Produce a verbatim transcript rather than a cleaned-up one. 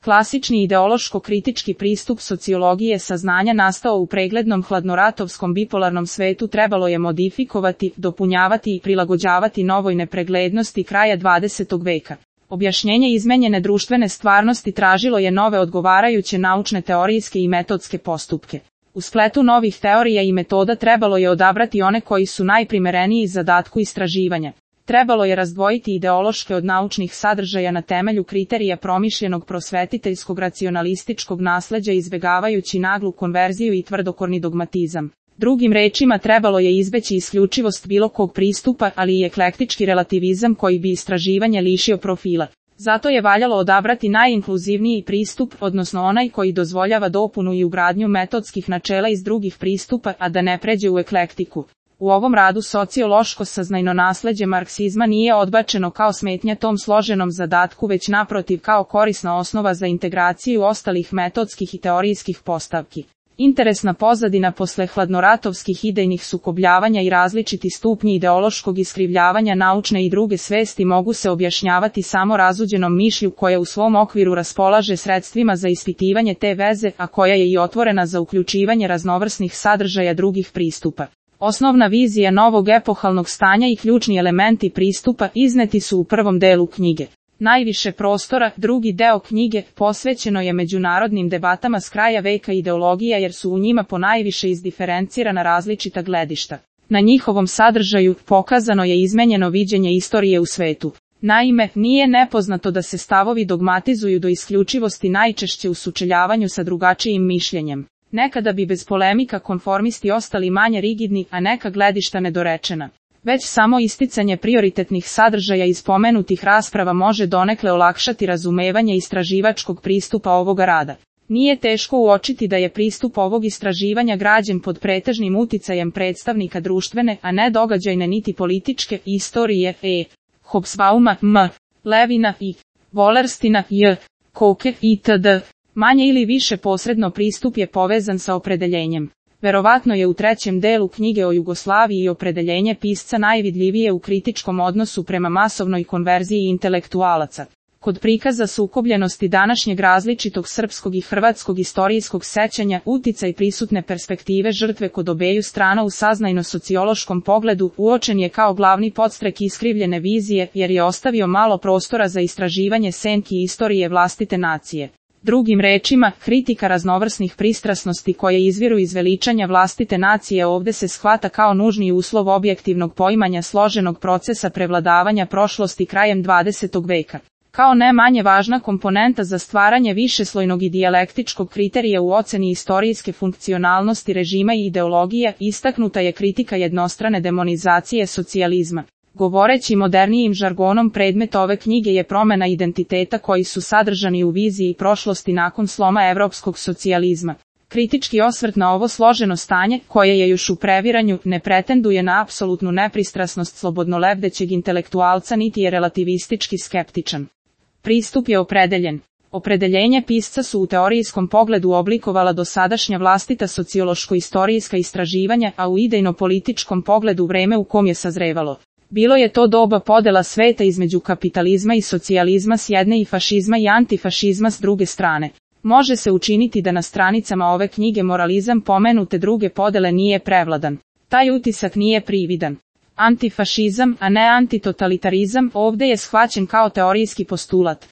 Klasični ideološko-kritički pristup sociologije saznanja nastao u preglednom hladnoratovskom bipolarnom svetu trebalo je modifikovati, dopunjavati i prilagođavati novoj nepreglednosti kraja dvadesetog veka. Objašnjenje izmenjene društvene stvarnosti tražilo je nove odgovarajuće naučne teorijske i metodske postupke. U spletu novih teorija i metoda trebalo je odabrati one koji su najprimereniji zadatku istraživanja. Trebalo je razdvojiti ideološke od naučnih sadržaja na temelju kriterija promišljenog prosvetiteljskog racionalističkog nasleđa izbegavajući naglu konverziju i tvrdokorni dogmatizam. Drugim rečima trebalo je izbeći isključivost bilo kog pristupa, ali i eklektički relativizam koji bi istraživanje lišio profila. Zato je valjalo odabrati najinkluzivniji pristup, odnosno onaj koji dozvoljava dopunu i ugradnju metodskih načela iz drugih pristupa, a da ne pređe u eklektiku. U ovom radu sociološko saznajno nasleđe marksizma nije odbačeno kao smetnja tom složenom zadatku, već naprotiv kao korisna osnova za integraciju ostalih metodskih i teorijskih postavki. Interesna pozadina posle hladnoratovskih idejnih sukobljavanja i različiti stupnji ideološkog iskrivljavanja naučne i druge svesti mogu se objašnjavati samo razuđenom mišlju koja u svom okviru raspolaže sredstvima za ispitivanje te veze, a koja je i otvorena za uključivanje raznovrsnih sadržaja drugih pristupa. Osnovna vizija novog epohalnog stanja i ključni elementi pristupa izneti su u prvom delu knjige. Najviše prostora, drugi deo knjige, posvećeno je međunarodnim debatama s kraja veka ideologija jer su u njima ponajviše izdiferencirana različita gledišta. Na njihovom sadržaju pokazano je izmenjeno viđenje istorije u svetu. Naime, nije nepoznato da se stavovi dogmatizuju do isključivosti najčešće u sučeljavanju sa drugačijim mišljenjem. Nekada bi bez polemika konformisti ostali manje rigidni, a neka gledišta nedorečena. Već samo isticanje prioritetnih sadržaja iz pomenutih rasprava može donekle olakšati razumevanje istraživačkog pristupa ovoga rada. Nije teško uočiti da je pristup ovog istraživanja građen pod pretežnim uticajem predstavnika društvene, a ne događajne niti političke istorije e. Hobsbauma m. Levina i Wallerstina j. Koke itd. Manje ili više posredno pristup je povezan sa opredeljenjem. Verovatno je u trećem delu knjige o Jugoslaviji i opredeljenje pisca najvidljivije u kritičkom odnosu prema masovnoj konverziji intelektualaca. Kod prikaza sukobljenosti današnjeg različitog srpskog i hrvatskog istorijskog sećanja, uticaj prisutne perspektive žrtve kod obeju strana u saznajno-sociološkom pogledu uočen je kao glavni podstrek iskrivljene vizije, jer je ostavio malo prostora za istraživanje senki istorije vlastite nacije. Drugim rečima, kritika raznovrsnih pristrasnosti koje izviru iz veličanja vlastite nacije ovde se shvata kao nužni uslov objektivnog poimanja složenog procesa prevladavanja prošlosti krajem dvadesetog veka. Kao ne manje važna komponenta za stvaranje višeslojnog i dijalektičkog kriterija u oceni istorijske funkcionalnosti režima i ideologija, istaknuta je kritika jednostrane demonizacije socijalizma. Govoreći modernijim žargonom, predmet ove knjige je promjena identiteta koji su sadržani u viziji prošlosti nakon sloma evropskog socijalizma. Kritički osvrt na ovo složeno stanje, koje je još u previranju, ne pretenduje na apsolutnu nepristrasnost slobodnolebdećeg intelektualca niti je relativistički skeptičan. Pristup je opredeljen. Opredeljenje pisca su u teorijskom pogledu oblikovala dosadašnja vlastita sociološko-istorijska istraživanja, a u idejno-političkom pogledu vreme u kom je sazrevalo. Bilo je to doba podela sveta između kapitalizma i socijalizma s jedne i fašizma i antifašizma s druge strane. Može se učiniti da na stranicama ove knjige moralizam pomenute druge podele nije prevladan. Taj utisak nije prividan. Antifašizam, a ne antitotalitarizam, ovde je shvaćen kao teorijski postulat.